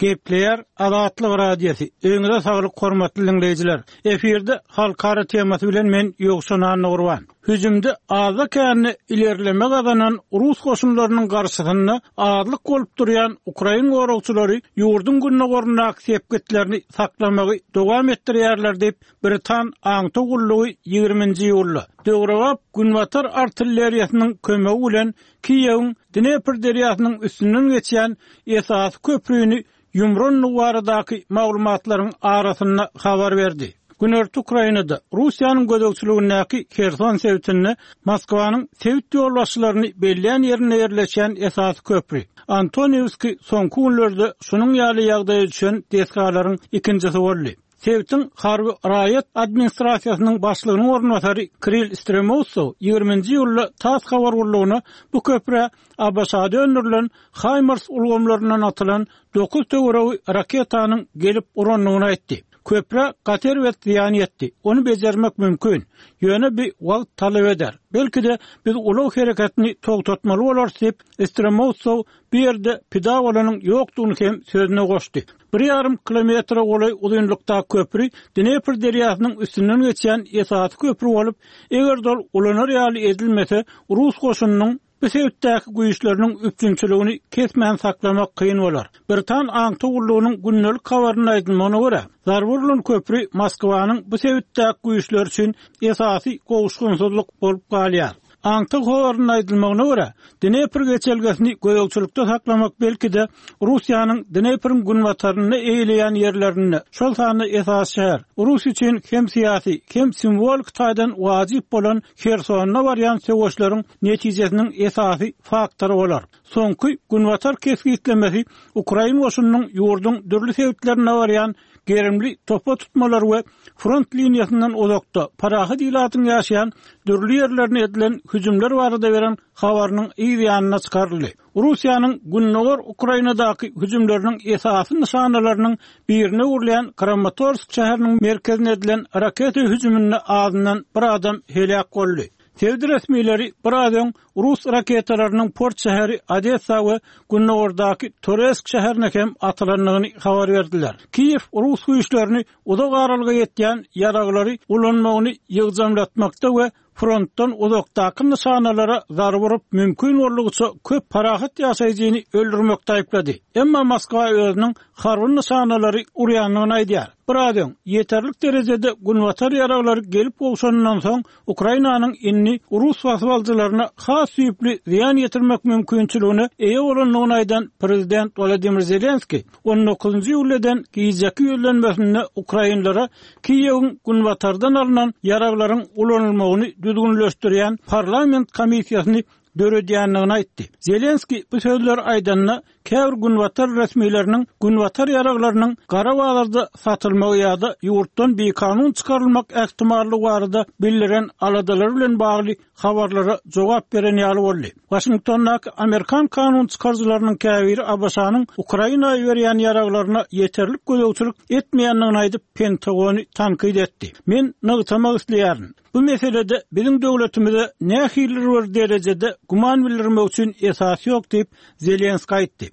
Gepleýär Azatlyk Radiosy, Öýüňize saglyk hormatly diňleýjiler! Efirde Halkara temasy bilen men Ýowşan Annagurban. Hüjümde azda-kände ilerleme gazanan rus goşunlarynyň garşysynda azlyk bolup durýan ukrain goragçylary ýurduň gündogaryndaky sepgitlerini saklamagy dowam etdirýärler diýip, britan aňtaw gullugy ýigriminji iýulda döwrebap günbatar artilleriýasynyň kömegi bilen Kiýewiň Dnepr derýasynyň üstünden geçýän esasy köprüni ýumrandygy baradaky maglumatlaryň arasynda habar berdi. Günorta Ukrainada, Russiýanyň gözegçiligindäki Herson sebitinde Moskwanyň sebit ýolbaşçylaryny belleýän ýerinde ýerleşýän esasy köpri, Antoniwskiý soňky günlerde şunuň ýaly ýagdaýa düşen desgalaryň ikinjisi boldy. Sebitiň harby raýat administrasiýasynyň başlygynyň orunbasary Kirill Stremousow ýigriminji iýulda tass habar gullugyna bu köprä ABŞ-da öndürilen HIMARS ulgamlaryndan atylan dokuz töweregi raketanyň gelip urandygyny aýtdy. Köprä gaty erbet zyýan ýetdi. Ony bejermek mümkin. Ýöne bi wagt talap eder. Belki-de, biz ulag hereketini togtatmaly bolarys diýip, Stremousow bu ýerde pida bolanyň ýokdugyny hem sözüne goşdy. Bir ýarym kilometre golaý uzynlykdaky köpri Dnepr derýasynyň üstünden geçýän esasy köpri bolup, eger-de ol ulanar ýaly edilmese, rus goşunynyň bu sebitdäki güýçleriniň üpjünçiligini kesmän saklamak kyn bolar. Britan aňtaw gullugynyň gündelik habarynda aýdylmagyna görä, zarba urlan köpri Moskwanyň bu sebitdäki güýçleri üçin esasy gowuşgynsyzlyk bolup galýar. Aňtaw habarynda aýdylmagyna görä, Dnepr geçelgesini gözegçilikde saklamak belki-de, Russiýanyň Dnepriň günbatarynda eýeleýän ýerlerinde, şol sanda esasy şäher, Rus üçin hem syýasy, hem simwolik taýdan wajyp bolan Hersonda barýan söweşleriň netijesiniň esasy faktory bolar. Soňky günbatar kesgitlemesi ukrain goşunynyň ýurduň dürli sebitlerinde barýan gerimli topa tutmalar we front liniýasyndan uzakda, parahat ilatyň ýaşaýan dürli ýerlerine edilen hüjümler barada beren habarynyň yz ýanynda çykaryldy. Russiýanyň gündogar Ukrainadaky hüjümleriniň esasy nyşanalarynyň birine öwrülýän Kramatorsk şäheriniň merkezine edilen raketa hüjüminde azyndan bir adam heläk boldy. Sebit resmileri biraz öň rus raketalarynyň port şäheri Odessa we gündogardaky Toresk şäherine hem atylandygyny habar berdiler. Kiýew rus güýçlerini uzak aralyga ýetýän ýaraglary ulanmagyny ýygjamlatmakda we frontdan uzakdaky nyşanalara zarba urup, mümkin boldugyça köp parahat ýaşaýjyny öldürmekde aýyplady. Emma Moskwa özüniň harby nyşanalary urýandygyny aýdýar. Biraz öň, ýeterlik derejede günbatar ýaraglary gelip gowşanyndan soň, Ukrainanyň indi rus basybalyjylaryna has düýpli zyýan ýetirmek mümkinçiligine eýe bolandygyny aýdan prezident Wolodymyr Zelenskiý on dokuzynjy iýulda eden gijeki ýüzlenmesinde ukrainlere Kiýewiň günbatardan alnan ýaraglaryň ulanylmagyny düzgünleşdirýän parlament komissiýasyny döredýändigini aýtdy. Zelenskiý bu sözleri aýdanda, käbir günbatar resmileriniň günbatar ýaraglarynyň gara bazarda satylmagy ýa-da ýurtdan bikanun çykarylmak ähtimallygy barada bildiren aladalary bilen bagly habarlara jogap beren ýaly boldy. Waşingtondaky amerikan kanun çykaryjylarynyň käbiri ABŞ-nyň Ukraina iberýän ýaraglaryna ýeterlik gözegçilik etmeýändigini aýdyp, Pentagony tankyt etdi. Men nygtamak isleýärin, Bu meselede biziň döwletimize nähilidir bir derejede güman bildirmek üçin esas ýok diýip, Zelenskiý aýtdy.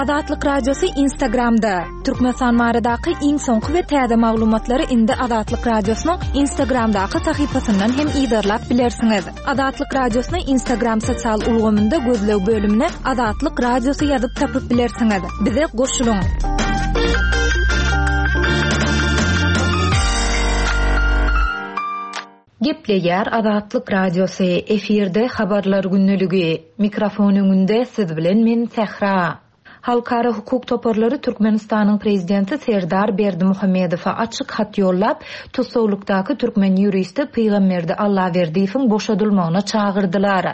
Azatlyk Radiosy Instagramda, Türkmenistan baradaky iň soňky we täze maglumatlary indi Azatlyk Radiosynyň Instagramdaky sahypasyndan hem yzarlap bilersiňiz. Azatlyk Radiosyny Instagram sosial ulgamynda gözleg bölümine Azatlyk Radiosy ýazyp tapyp bilersiňiz. Bize goşulyň! Gepleýär Azatlyk Radiosy, efirde Habarlar gündeligi. Mikrofon öňünde siz bilen men Sähra. Halkara hukuk toparlary Türkmenistanyň prezidenti Serdar Berdimuhamedowa açyk hat ýollap, tussaglykdaky türkmen ýuristi Pygamberdi Allaberdiýewiň boşadylmagyna çagyrdylar.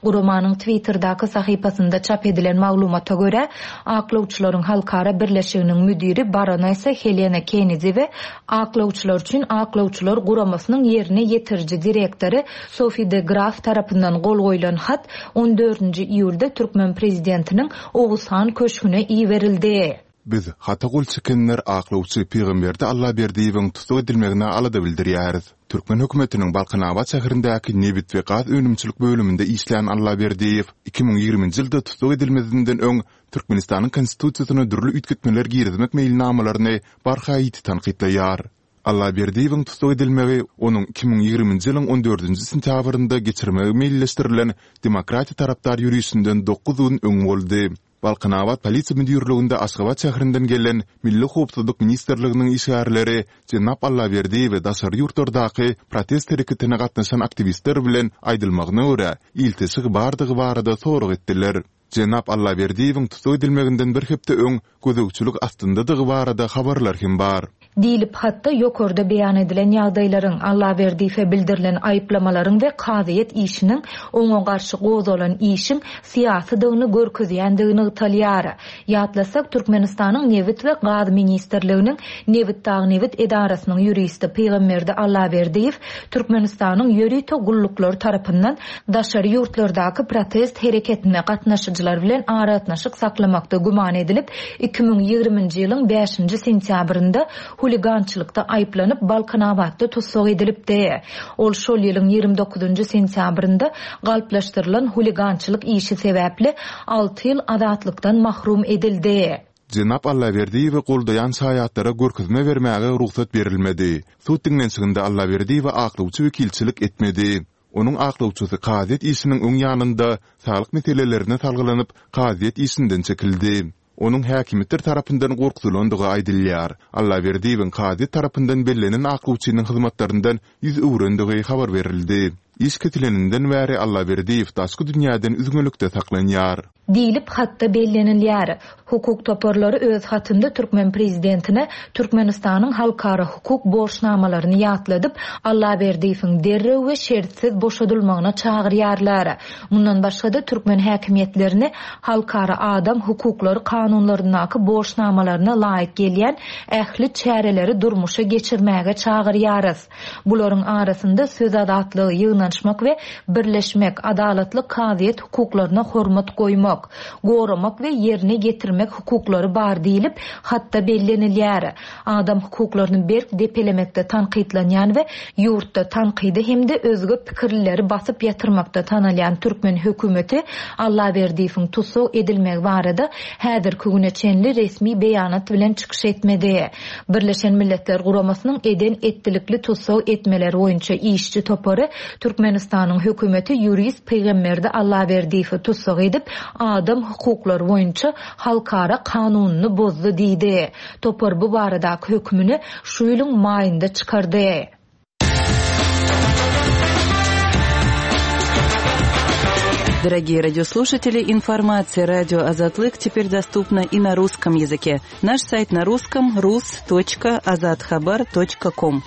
Guramanyň Twitterdaky sahypasynda çap edilen maglumata görä, Aklawçylaryň halkara birleşiginiň müdiri baronessa Helena Kennedi we Aklawçylar üçin aklawçylar guramasynyň ýerine ýetiriji direktory Sofi de Graf tarapyndan gol goýlan hat on dördünji iýulda türkmen prezidentiniň Oguzhan köşgüne iberildi. Biz, hata gol çekenler aklawçy Pygamberdi Allaberdiýewiň tussag edilmegine alada bildirýäris. Türkmen hökümetiniň Balkanabat şäherindäki nebit we gaz önümçilik bölüminde işlän Allaberdiýew 2020-nji ýylda tussag edilmezinden öň Türkmenistanyň Konstitusiýasyna dürli üýtgetmeler girizmek meýilnamalaryny barha ýiti tankytlaýar. Allaberdiýewiň tussag edilmegi onuň 2020-nji ýylyň on dördünji sentýabrynda geçirmegi meýilleşdirilen demokratiýa tarapdar ýörişinden dokuz gün öň boldy. Balkanabat polisiýa müdirliginde Aşgabat şäherinden gelen Milli howpsuzlyk ministrliginiň işgärleri jenap Allaberdiýewe daşary ýurtlardaky protest hereketine gatnaşan aktiwistler bilen, aýdylmagyna görä, ilteşigi bardygy barada sorag etdiler. Jenap Allaberdiýewiň tussag edilmeginden bir hepde öň gözegçilik astyndadygy barada habarlar hem bar. Diýlip, hatda ýokarda beýan edilen ýagdaýlaryň, Allaberdiýewe bildirilen aýyplamalaryň we kazyýet işiniň oňa garşy gozgalan işiň syýasydygyny görkezýändigi nygtalýar. Ýatlasak, Türkmenistanyň Nebit we gaz ministrliginiň Nebitdagnebit edarasynyň ýuristi Pygamberdi Allaberdiýew Türkmenistanyň ýörite gulluklary tarapyndan daşary ýurtlardaky protest hereketine gatnaşyjylar bilen aragatnaşyk saklamakda güman edilip, 2020-nji ýylyň bäşinji sentýabrynda huligançylykda aýyplanyp, Balkanabatda tussag edilipdi. Ol şol ýylyň 29-njy sentýabrynda galplaşdyrylan huligançylyk işi sebäpli alty ýyl azatlykdan mahrum edildi. Jenap Allaberdiýewi goldaýan şaýatlara görkezme bermäge rugsat berilmedi. Sud diňlenişiginde Allaberdiýewe aklawçy wekilçilik etmedi. Onuň aklawçysy kazyýet işiniň öň ýanynda saglyk meselelerine salgylanyp, kazyýet işinden çekildi. Onuň häkimiýetler tarapyndan gorkuzylandygy aýdylýar. Allaberdiýewiň kazyýet tarapyndan bellenen aklawçynyň hyzmatlaryndan ýüz öwrendigi habar berildi. Iş kesileninden bäri Allaberdiýew daşky dünýäden üzňelikde saklanýar. Diýlip, hatda bellenilýär. Hukuk toparlary öz hatynda türkmen prezidentine Türkmenistanyň halkara hukuk borçnamalaryny ýatladyp, Allaberdiýewiň derrew we şertsiz boşadylmagyna çagyrýarlar. Mundan başga-da, türkmen häkimiýetlerini halkara adam hukuklary kanunlaryndaky borçnamalaryna laýyk gelýän ähli çäreleri durmuşa geçirmäge çagyrýarys. Bularyň arasynda söz azatlygy, ýygnanyşmak we birleşmek, adalatly kazyýet hukuklaryna hormat goýmak, goramak we ýerine ýetirmek hukuklary bar diýlip, hatda bellenilýär. Adam hukuklaryny berk depelemekde tankytlanýan we ýurtda tankydy hem-de özge pikirlileri basyp ýatyrmakda tanalýan türkmen hökümeti Allaberdiýewiň tussag edilmegi barada häzirki güne çenli resmi beýanat bilen çykyş etmedi. Birleşen Milletler Guramasynyň eden-etdilikli tussag etmeler boýunça işçi topary Türkmenistanyň hökümeti ýurist Pygamberdi Allaberdiýewi tussag edip, adam hukuklary boýunça halkara kanunyny bozdy diýdi. Topar bu baradaky hökümini şu ýylyň maýynda çykardy. Дорогие радиослушатели, информация радио Азатлык теперь доступна и на русском языке. Наш сайт на русском rus.azathabar.com.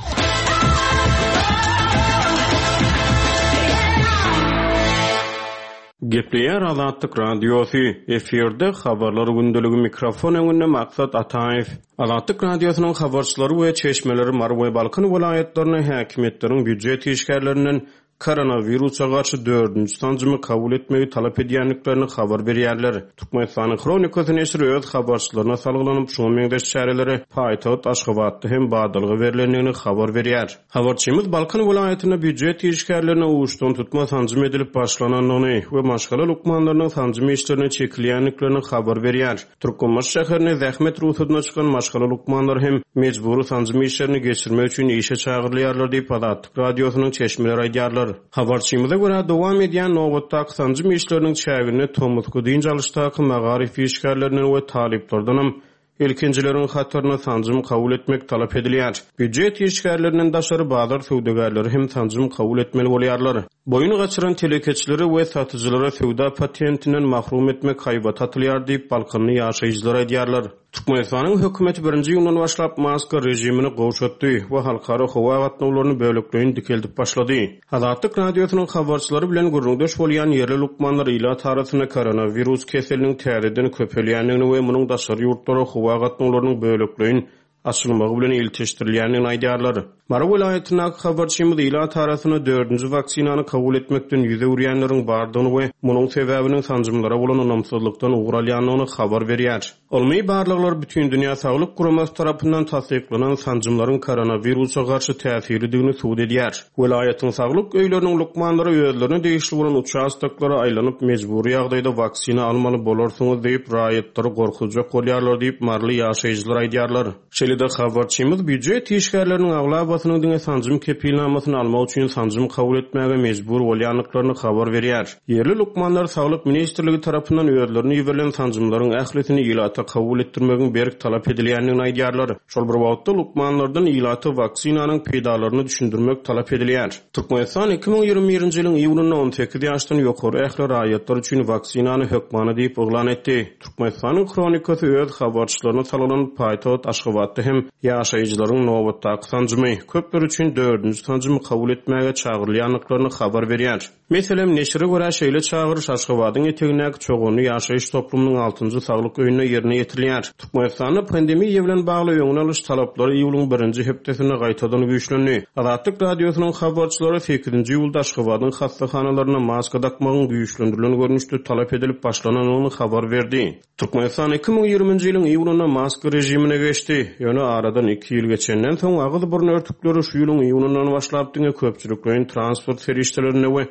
Gepleýär Azatlyk Radiosy, efirde Habarlar gündeligi mikrofon öňünde Maksat Ataýew. Azatlyk Radiosynyň habarçylary we çeşmeleri Mary we Balkan welaýatlarynda häkimiýetleriň býujet işgärlerinden koronawirusa garşy dördünji sanjymy kabul etmegi talap edýändiklerini habar berýärler. Türkmenistanyň Hronikasy neşiri öz habarçylaryna salgylanyp, şuňa meňzeş çärelere paýtagt Aşgabatda hem badalga berlendigini habar berýär. Habarçymyz Balkan welaýatynda býujet işgärlerine uçdantutma sanjym edilip başlanandygyny we maşgala lukmanlarynyň sanjym işlerine çekilýändiklerini habar berýär. Türkmenbaşy şäherinde zähmet rugsadyna çykan maşgala lukmanlary hem mejbury sanjym işlerini geçirmek üçin işe çagyrylýarlar diýip, Azatlyk Radiosynyň çeşmeleri aýdýarlar. Habarçymyza görä, dowam edýän nobatdaky sanjym işleriniň çäginde tomusky dynç alyşdaky magaryf işgärlerinden we talyplardanam Ilkinjileriň hatarynda sanjym kabul etmek talap edilýär. Býujet işgärlerinden daşary bazar söwdagärleri hem sanjym kabul etmeli bolýarlar. Boýun gaçyran telekeçileri we satyjylara söwda patentinden mahrum etmek haýbaty atylýar diýip, balkanly ýaşaýjylar aýdýarlar. Türkmenistanyň hökümeti birinji iýundan başlap maska režimini gowşatdy we halkara howa gatnawlaryny bölekleýin dikeldip başlady. Azatlyk Radiosynyň habarçylary bilen gürrüňdeş bolýan ýerli lukmanlar ilat arasynda koronawirus keseliniň täzeden köpelýändigini we munuň daşary ýurtlara howa gatnawlarynyň bölekleýin açylmagy bilen ilteşdirilýändigini aýdýarlar. Mary welaýatyndaky habarçymyz ilat arasynda dördünji waksinany kabul etmekden ýüz öwürýänleriň bardygyny we munuň sebäbiniň sanjymlara bolan ynamsyzlykdan ugur alýandygyny habar berýär. Ylmy barlaglar Bütindünýä Saglyk Guramasy tarapyndan tassyklanan sanjymlaryň koronawirusa garşy täsirlidigini subut edýär. Welaýatyň saglyk öýleriniň lukmanlary özlerine degişli bolan uçastoklara aýlanyp, mejbury ýagdaýda waksina almaly bolarsyňyz diýip, raýatlary gorkuzjak bolýarlar diýip, maryly ýaşaýjylar aýdýarlar. Şeýle-de habarçymyz býujet işgärleriniň aglabasynyň diňe sanjym kepilnamasyny almak üçin sanjym kabul etmäge mejbur bolýandyklaryny habar berýär. Ýerli lukmanlar Saglyk ministrligi tarapyndan özlerine iberilen sanjymlaryň ählisini ilata kabul etdirmegiň berk talap edilýändigini aýdýarlar. Şol bir wagtda, lukmanlardan ilata waksinanyň peýdalaryny düşündirmek talap edilýär. Türkmenistan 2021-nji ýylyň iýunynda 18 ýaşdan ýokary ähli raýatlar üçin waksinany hökmany diýip yglan etdi. Türkmenistanyň Hronikasy öz habarçylaryna salgylanyp, paýtagt Aşgabatda hem ýaşaýjylaryň nobatdaky sanjymy, köpler üçin dördünji sanjymy kabul etmäge çagyrylýandyklaryny habar berýär. Meselem, neşire görä, şeýle çagyryş Aşgabadyň etegindäki Çoganly ýaşaýyş toplumynyň altynjy saglyk öýünde ýerine ýetirilýär. Türkmenistanda pandemiýa bilen bagly öňüni alyş talaplary iýulyň birinji hepdesinde gaýtadan güýçlendi. Azatlyk Radiosynyň habarçylary sekizinji iýulda Aşgabadyň hassahanalarynda maska dakmagyň güýçlendirilen görnüşde talap edilip başlanandygyny habar berdi. Türkmenistan 2020-nji ýylyň iýunynda maska režimine geçdi. Ýöne aradan iki ýyl geçenden soň, agyz-burun örtükleri şu ýylyň iýunyndan başlap diňe köpçülikleýin transport serişdelerinde we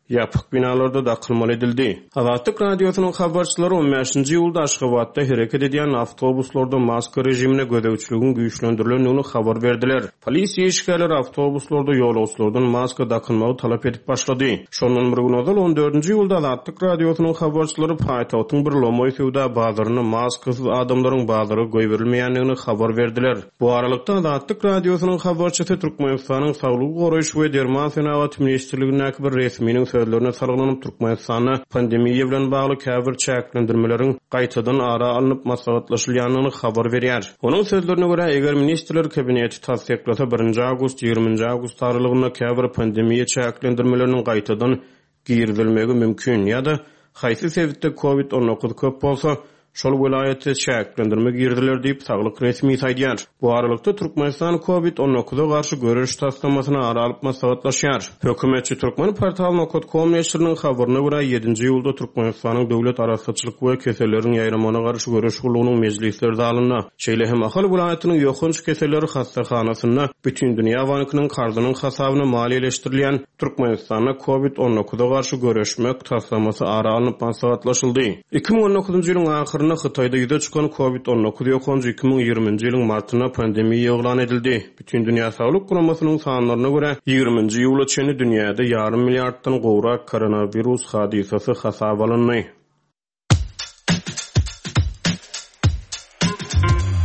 ýapyk binalarda dakylmaly edildi. Azatlyk Radiosynyň habarçylary on bäşinji iýulda Aşgabatda hereket edýän awtobuslarda maska režimine gözegçiligiň güýçlendirilendigini habar berdiler. Polisiýa işgärleri awtobuslarda ýolagçylardan maska dakynmagy talap edip başlady. Şondan bir gün ozal, on dördünji iýulda Azatlyk Radiosynyň habarçylary paýtagtyň bir lomaý söwda bazarynda maskasyz adamlaryň bazara goýberilmeýändigini habar berdiler. Bu aralykda, Azatlyk Radiosynyň habarçysy Türkmenistanyň Saglygy goraýyş we derman senagaty ministrligindäki bir resminiň sözlerine salgylanyp, Türkmenistanda pandemiýa bilen bagly käbir çäklendirmeleriň gaýtadan ara alnyp maslahatlaşylýandygyny habar berýär. Onuň sözlerine görä, eger Ministrler Kabineti tassyklasa, birinji awgust, ýigriminji awgust aralygynda käbir pandemiýa çäklendirmeleriniň gaýtadan girizilmegi mümkin ýa-da haýsy sebitde covid 19 köp bolsa, şol welaýatda çäklendirme giriziler diýip, saglyk resmisi aýdýar. Bu aralykda, Türkmenistan covid 19-a garşy göreş taslamasyny ara alyp maslahatlaşýar. Hökümetçi Turkmenportal nokat kom neşiriniň habaryna görä, ýedinji iýulda Türkmenistanyň Döwlet arassaçylyk we keselleriň ýaýramagyna garşy göreş gullugynyň mejlisler zalynda, şeýle hem Ahal welaýatynyň ýokanç keselleri hassahanasynda Bütindünýä bankynyň karzynyň hasabyna maliýeleşdirilýän Türkmenistanda covid 19-a garşy göreşmek taslamasy ara alnyp maslahatlaşyldy. 2019-njy ýylyň ahyrynda Hytaýda ýüze çykan covid 19 ýokanjy 2020-nji ýylyň martynda pandemiýa yglan edildi. Bütindünýä Saglyk Guramasynyň sanlaryna görä, ýigriminji iýula çenli dünýäde ýarym milliarddan gowrak koronawirus hadysasy hasaba alyndy.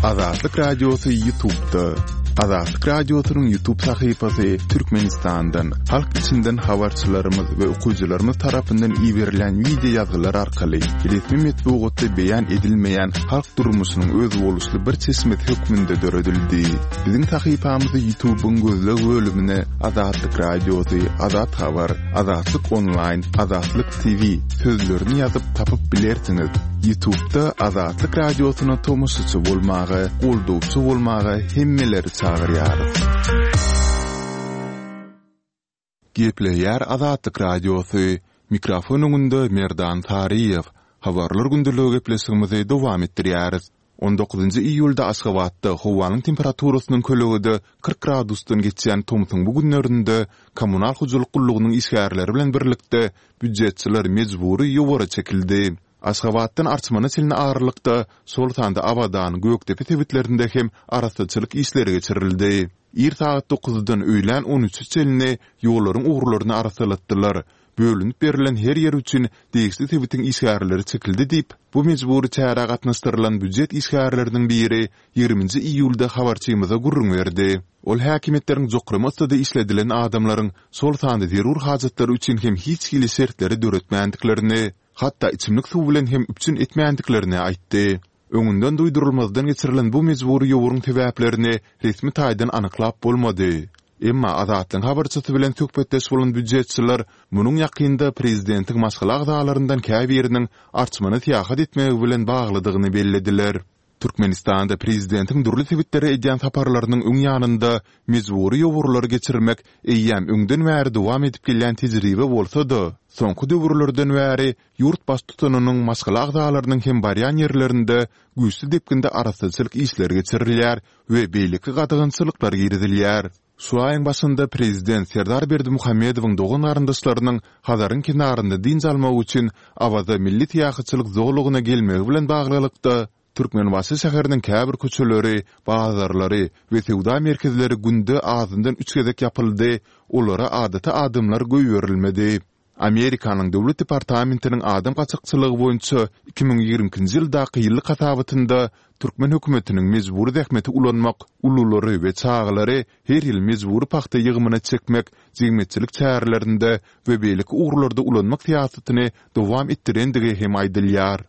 Azatlyk Radiosy Ýutubda. Azatlyk Radiosynyň Ýutub sahypasy Türkmenistandan, halk içinden habarçylarymyz we okyjylarymyz tarapyndan iberilen wideo ýazgylar arkaly resmi metbugatda beýan edilmeýän halk durmuşynyň özboluşly bir çeşmesi hökmünde döredildi. Biziň sahypamyzy Ýutubyň gözleg bölümine Azatlyk Radiosy, Azat Habar, Azatlyk Onlaýn, Azatlyk TV sözlerini ýazyp tapyp bilersiňiz. Ýutubda Azatlyk Radiosyna tomaşaçy bolmaga, goldawçy bolmaga hemmeleri çagyrýarys. Gepleýär Azatlyk Radiosy, Mikrofon öňünde Merdan Saryýew. Habarlar gündeligi gepleşigimizi dowam etdirýäris. On dokuzynjy iýulda Aşgabatda howanyň temperaturasynyň kölegede 40 gradusdan geçýän tomsuň bu günlerinde kommunal hojalyk gullugynyň işgärleri bilen birlikde býujetçiler mejbury ýowara çekildi. Aşgabatdan Arçmana çenli aralykda, şol sanda Abadan, Gökdepe sebitlerinde hem arassaçylyk işleri geçirildi. Ir sagat dokuzdan öýlän on üçe çenli ýollaryň ugurlaryny arassalatdylar. Bölünip berlen her ýer üçin degişli sebitiň işgärleri çekildi diýip, bu mejbury çärä gatnaşdyrylan býujet işgärleriniň biri ýigriminji iýulda habarçymyza gürrüň berdi. Ol häkimiýetleriň jokrama yssyda işledilen adamlaryň, şol sanda zerur hajatlary üçin hem hiç hili şertleri döretmändiklerini, hatda içimlik suw bilen hem üpjün etmändiklerini aýtdy. Öňünden duýdurylmazdan geçirilen bu mejbury ýowuryň sebäplerini resmi taýdan anyklap bolmady. Emma Azatlygyň habarçysy bilen söhbetdeş bolan býujetçiler munuň ýakynda prezidentiň maşgala agzalaryndan käbiriniň Arçmana syýahat etmegi bilen baglydygyny bellediler. Türkmenistanda prezidentiň dürli sebitlere edýän saparlarynyň öň ýanynda mejbury ýowurlary geçirmek eýýäm öňden bäri dowam edip gelýän tejribe bolsa-da, soňky döwürlerden bäri ýurt baştutanynyň maşgala agzalarynyň hem barýan ýerlerinde güýçli depginde arassaçylyk işleri geçirilýär we beýleki gadagançylyklar girizilýär. Şu aýyň başynda prezident Serdar Berdimuhamedowyň dogan-garyndaşlarynyň Hazaryň kenarynda dynç almak üçin Awaza milli syýahatçylyk zolagyna gelmegi bilen baglylykda, Türkmenbaşy şäheriniň käbir köçeleri, bazarlary we söwda merkezleri günde azyndan üç gezek ýapyldy, olara adaty adamlar goýberilmedi. Amerikanyň Döwlet departamentiniň adam gaçakçylygy boýunça 2022-nji ýyldaky ýyllyk hasabatynda türkmen hökümetiniň mejbury zähmeti ulanmak, ululary we çagalary her ýyl mejbury pagta ýygymyna çekmek, jemgyýetçilik çärelerinde we beýleki ugurlarda ulanmak syýasatyny dowam etdirendigi hem aýdylýar.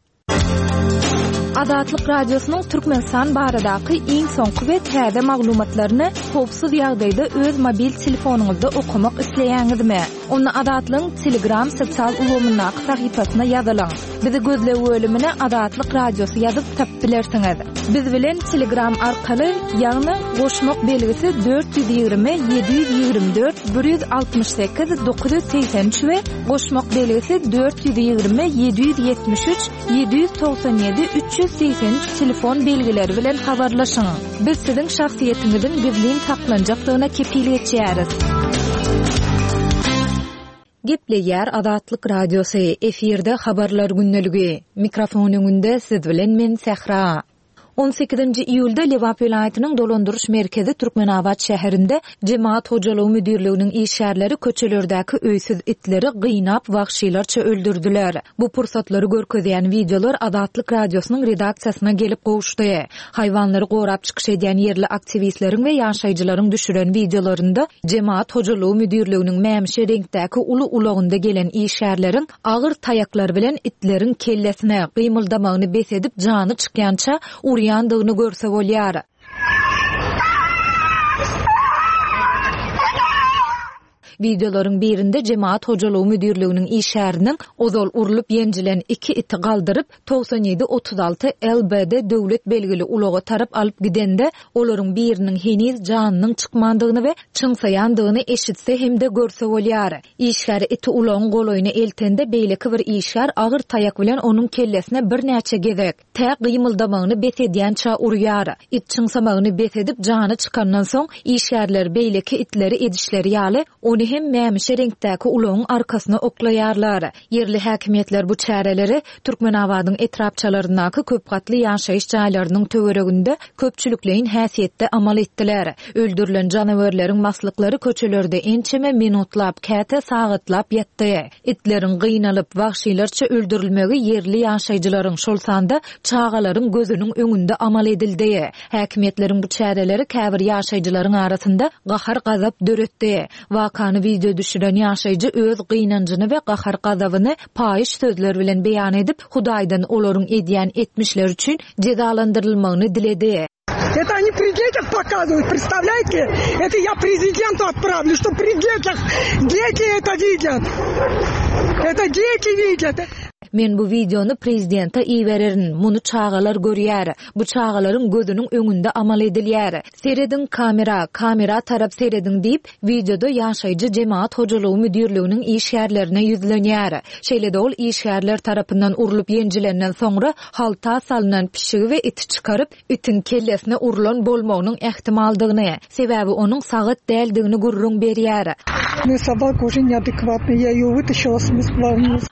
Azatlyk Radiosynyň Türkmenistan baradaky iň soňky we täze maglumatlaryny howpsuz ýagdaýda öz mobil telefonyňyzda okamak isleýäňizmi? Onda Azatlygyň Telegram sosial ulgamyndaky sahypasyna ýazylyň. Bizi gözleg bölümine Azatlyk Radiosy ýazyp tapyp bilersiňiz. Biz bilen Telegram arkaly, ýagny goşmak belgisi 420 724 168 983 we goşmak belgisi 420 773 797 383 telefon belgileri bilen habarlaşyň. Biz siziň şahsyýetiňiziň gizlin saklanjakdygyna kepil geçýäris. Gepleýär Azatlyk Radiosy, efirde Habarlar gündeligi. Mikrofon öňünde siz bilen men Sähra. On sekizinji iýulda Lebap welaýatynyň dolandyryş merkezi Türkmenabat şäherinde Jemagat hojalygy müdirliginiň işgärleri köçelerdäki öýsüz itleri gynap wagşylarça öldürdiler. Bu pursatlary görkezýän wideolar Azatlyk Radiosynyň redaksiýasyna gelip gowuşdy. Haýwanlary gorap çykyş edýän ýerli aktiwistleriň we ýaşaýjylaryň düşüren wideolarynda Jemagat hojalygy müdirliginiň mämişi reňkdäki uly ulagynda gelen işgärleriň agyr taýaklar bilen itleriň kellesine, gymyldamagyny bes edip jany çykýança urýandygyny görse bolýar. Wideolaryň birinde Jemagat hojalygy müdirliginiň işgäriniň ozal urlup-ýenjilen iki iti galdyryp, 97 36 LBD döwlet belgili ulaga tarap alyp gidende, olaryň biriniň heniz janynyň çykmandygyny we çyňsaýandygyny eşitse hem-de görse bolýar. Işgär iti ulagyň golaýyna eltende, beýleki bir işgär agyr taýak bilen onuň kellesine birnäçe gezek, tä gymyldamagyny bes edýänçä urýar. It çyňsamagyny bes edip, jany çykandan soň, işgärler beýleki itleri edişleri ýaly, ony hem mämişi reňkdäki ulagyň arkasyna oklaýarlar. Ýerli häkimiýetler bu çäreleri Türkmenabadyň etrapçalaryndaky köp gatly ýaşaýyş jaýlarynyň töwereginde köpçülikleýin häsiýetde amal etdiler. Öldürilen janawerleriň maslyklary köçelerde ençeme minutlap, käte sagatlap ýatdy. Itleriň gynalyp, wagşylarça öldürilmegi ýerli ýaşaýjylaryň, şol sanda çagalaryň gözüniň öňünde amal edildi. Häkimiýetleriň bu çäreleri käbir ýaşaýjylaryň arasynda gahar-gazap döretdi. Wakany wideo düşüren ýaşaýjy öz gynanjyny we gahar-gazabyny paýyş sözler bilen beýan edip, Hudaýdan olaryň edýän etmişleri üçin jezalandyrylmagyny diledi. Это они при детях показывают, представляете? Это я президенту отправлю, что при детях дети это видят. Это дети видят. Men bu wideony prezidente ibererin, muny çagalar görýär. Bu çagalaryň gözüniň öňünde amal edilýär. Serediň kamera, kamera tarap serediň diýip, wideoda ýaşaýjy jemagat hojalygy müdirliginiň işgärlerine ýüzlenýär. Şeýle-de ol işgärler tarapyndan urlup ýenjilenden soňra halta salnan pişigi we iti çykaryp, itiň kellesine urlan bolmagynyň ähtimaldygyny, sebäbi onuň sagat däldigini gürrüň berýär.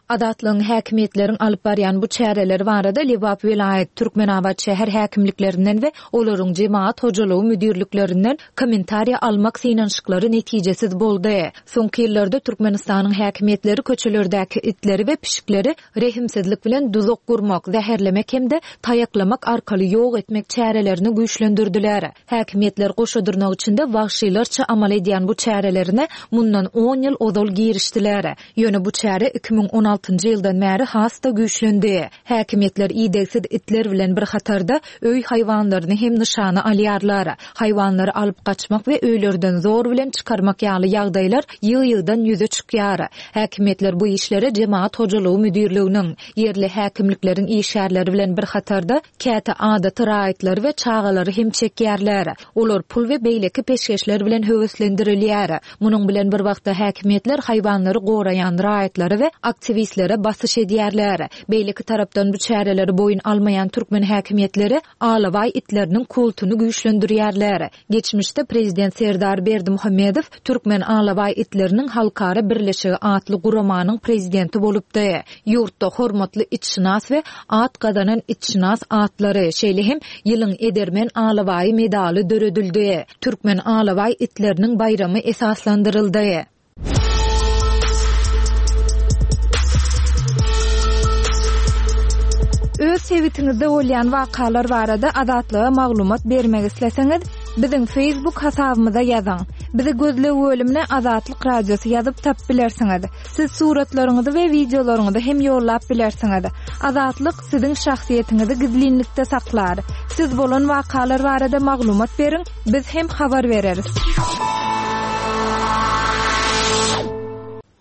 Azatlygyň häkimiýetleriň alyp barýan bu çäreleri barada Lebap welaýat, Türkmenabat şäher häkimliklerinden we olaryň jemagat hojalygy müdirliklerinden kommentariýa almak synanyşyklary netijesiz boldy. Soňky ýyllarda Türkmenistanyň häkimiýetleri köçelerdäki itleri we pişikleri rehimsizlik bilen duzak gurmak, zäherlemek hem-de taýaklamak arkaly ýok etmek çärelerini güýçlendirdiler. Häkimiýetler goşa dyrnak içinde wagşylarça amal edýän bu çärelerine mundan on ýyl ozal girişdiler. Ýöne bu çäre 2016-njy ýyldan bäri. has-da güýçlendi. Häkimiýetler idegsiz itler bilen bir hatarda, öý haýwanlaryny hem nyşana alýarlar. Haýwanlary alyp gaçmak we öýlerden zor bilen çykarmak ýaly ýagdaýlar ýygy-ýygydan ýüze çykýar. Häkimiýetler bu işlere Jemagat hojalygy müdirliginiň, ýerli häkimlikleriň işgärleri bilen bir hatarda, käte adaty raýatlary we çagalary hem çekýärler. Olar pul we beýleki peşgeşler bilen höweslendirilýär. Munuň bilen bir wagtda häkimiýetler haýwanlary goraýan raýatlara we aktiwistlere basyş edýärler. Beýleki tarapdan bu çäreleri boýun almaýan türkmen häkimiýetleri alabaý itleriniň kultuny güýçlendirýärler. Geçmişde prezident Serdar Berdimuhamedow Türkmen alabaý itleriniň halkara birleşigi atly guramanyň prezidenti bolupdy. Ýurtda hormatly itşynas we at gazanan itşynas atlary, şeýle hem Ýylyň edermen alabaýy medaly döredildi. Türkmen alabaý itleriniň baýramy esaslandyryldy. Öz sebitiňizde bolýan wakalar barada Azatlyga maglumat bermek isleseňiz, biziň Facebook hasabymyza ýazyň. Bizi gözleg bölümine Azatlyk Radiosy ýazyp tapyp bilersiňiz. Siz suratlaryňyzy we wideolaryňyzy hem ýollap bilersiňiz. Azatlyk siziň şahsyýetiňizi gizlinlikde saklar. Siz bolan wakalar barada maglumat beriň, biz hem habar bereris.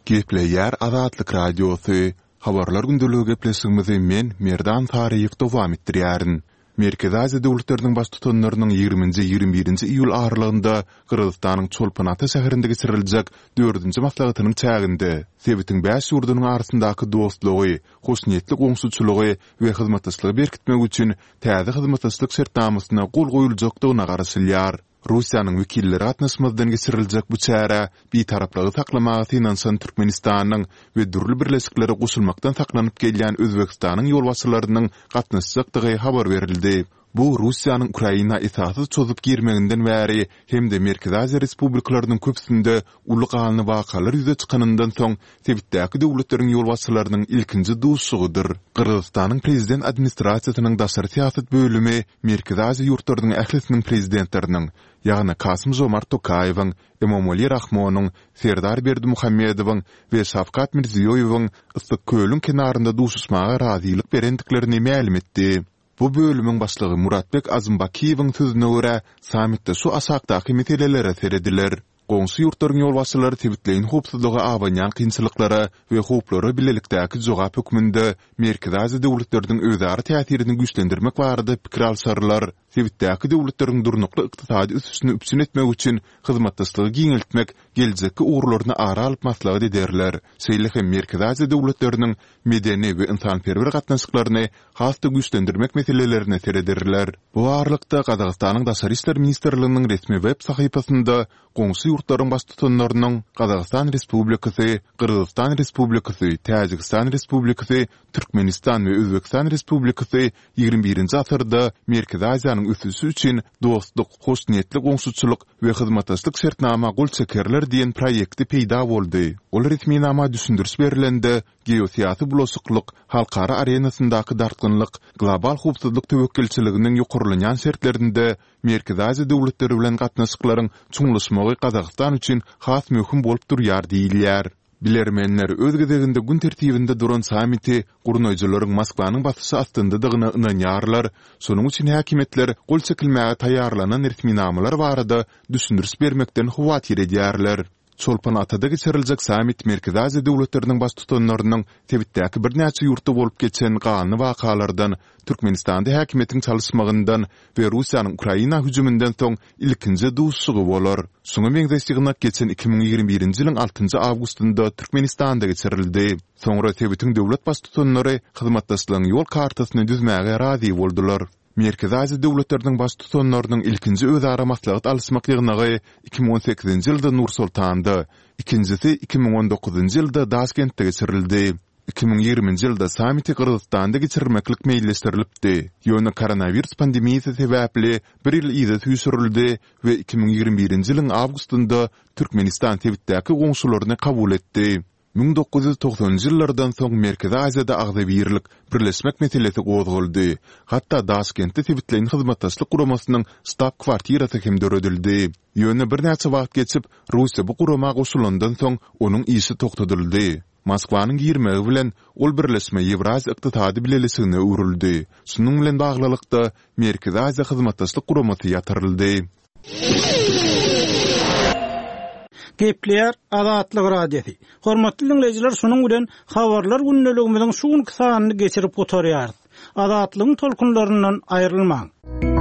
Gepleýär Azatlyk Radiosy, Habarlar gündeligi gepleşigimizi men, Merdan Saryýew dowam etdirýärin. Merkezi Aziýa döwletleriniň Baştutanlarynyň ýigriminji-ýigrimi birinji iýul aralygynda Gyrgyzystanyň Çolpon-Ata şäherinde geçiriljek dördünji maslahatynyň çäginde sebitiň bäş ýurdunyň arasyndaky dostlugy, hoşniýetli goňşuçylygy we hyzmatdaşlygy berkitmek üçin täze hyzmatdaşlyk şertnamasyna gol goýuljakdygyna garaşylýar. Russiýanyň wekilleri gatnaşmazdan geçiriljek bu çärä bitaraplygy saklamaga synanyşan Türkmenistanyň we dürli birleşiklere goşulmakdan saklanyp gelýän Özbegistanyň ýolbaşçylarynyň gatnaşjakdygy habar berildi. Bu Russiýanyň Ukraina esassyz çozup girmeginden bäri hem-de Merkezi Aziýa respublikalarynyň köpüsinde uly ganly wakalar ýüze çykanyndan soň sebitdäki döwletleriň ýolbaşçylarynyň ilkinji duşuşygydyr. Gyrgyzystanyň Prezident administrasiýasynyň daşary syýasat bölümi Merkezi Aziýa ýurtlarynyň ählisiniň Prezidentleriniň, ýagny Kasym-Žomart Tokaýewiň, Emomali Rahmonyň, Serdar Berdimuhamedowyň we Şawkat Mirziýoýewiň Yssyk-Kölüň kenarynda duşuşmaga razylyk berendiklerini mälim etdi. Bu bölümiň başlygy Muratbek Azymbakiýewiň sözüne görä, sammitde şu aşakdaky meselelere serediler. Goňşy ýurtlaryň ýolbaşçylary sebitleýin howpsuzlyga abanýan kynçylyklara we howplara bilelikdäki jogap hökmünde Merkezi Aziýa döwletleriniň özara täsirini güýçlendirmek barada pikir alşarlar, sebitdäki döwletleriň durnukly ykdysady ösüşini üpjün etmek üçin hyzmatdaşlygy giňeltmek geljekki ugurlaryny ara alyp maslahat ederler, şeýle hem Merkezi Aziýa döwletleriniň medeni we ynsanperwer gatnaşyklaryny has-da güýçlendirmek meselelerine serederler. Bu aralykda, Gazagystanyň Daşary işler ministrliginiň resmi web sahypasynda goňşy ýurtlaryň baştutanlarynyň Gazagystan Respublikasy, Gyrgyzystan Respublikasy, Täjigistan Respublikasy, Türkmenistan we Özbegistan Respublikasy ýigrimi birinji asyrda Merkezi Aziýanyň ösüşi üçin dostluk, hoşniýetli goňşuçylyk we hyzmatdaşlyk şertnama gol çekerler diýen proýekti peýda boldy. Ol resminama düşündiriş berlende, Geosyýasy bulaşyklyk, halkara arenasyndaky dartgynlyk, global howpsuzlyk töwekgelçiliginiň ýokarlanýan şertlerinde Merkezi Aziýa döwletleri bilen gatnaşyklaryň çuňlaşmagy Gazagystan üçin has möhüm bolup durýar diýilýär. Bilermenler öz gezeginde gün tertibinde duran sammiti gurnaýjylaryň Moskwanyň basyşy astyndadygyna ynanýarlar, şonuň üçin häkimiýetler gol çekilmäge taýýarlanan resminamalar barada düşündiriş bermekden howatyr edýärler. Çolpon-Atada geçiriljek sammit Merkezi Aziýa döwletleriniň baştutanlarynyň sebitdäki birnäçe ýurtda bolup geçen ganly wakalardan, Türkmenistanda häkimiýetiň çalyşmagyndan we Russiýanyň Ukraina hüjüminden soň ilkinji duşuşygy bolar. Şuňa meňzeş ýygnak geçen 2021-nji ýylyň altynjy awgustynda Türkmenistanda geçirildi. Soňra sebitiň döwlet baştutanlary hyzmatdaşlygyň ýol kartasyny düzmäge razy boldular. Merkezi Aziýa döwletleriniň Baştutanlarynyň ilkinji özara maslahat alyşmak ýygnagy 2018-nji ýylda Nur-Sultanda, ikinjisi 2019-njy ýylda Daşkentde geçirildi. 2020-nji ýylda sammiti Gyrgyzystanda geçirmeklik meýilleşdirilipdi, ýöne koronawirus pandemiýasy sebäpli bir ýyl yza süýşürildi we 2021-nji ýylyň awgustynda Türkmenistan sebitdäki goňşularyny kabul etdi. 1990-njy ýyllardan soň Merkezi Aziýada agzybirlik, birleşmek meselesi gozgaldy. Hatda Daşkentde Sebitleýin Hyzmatdaşlyk Guramasynyň ştab-kwartirasy hem döredildi. Ýöne birnäçe wagt geçip, Russiýa bu gurama goşulandan soň, onuň işi togtadyldy. Moskwanyň girmegi bilen ol birleşme Ýewraziýa Ykdysady Bileleşigine öwrüldi. Şunuň bilen baglylykda, Merkezi Aziýa Hyzmatdaşlyk Guramasy ýatyryldy. Gepleýär Azatlyk Radiosy. Hormatly diňleýjiler şunuň bilen Habarlar gündeligimiziň şu günki sanyny geçirip gutarýarys. Azatlygyň tolkunlaryndan aýrylmaň.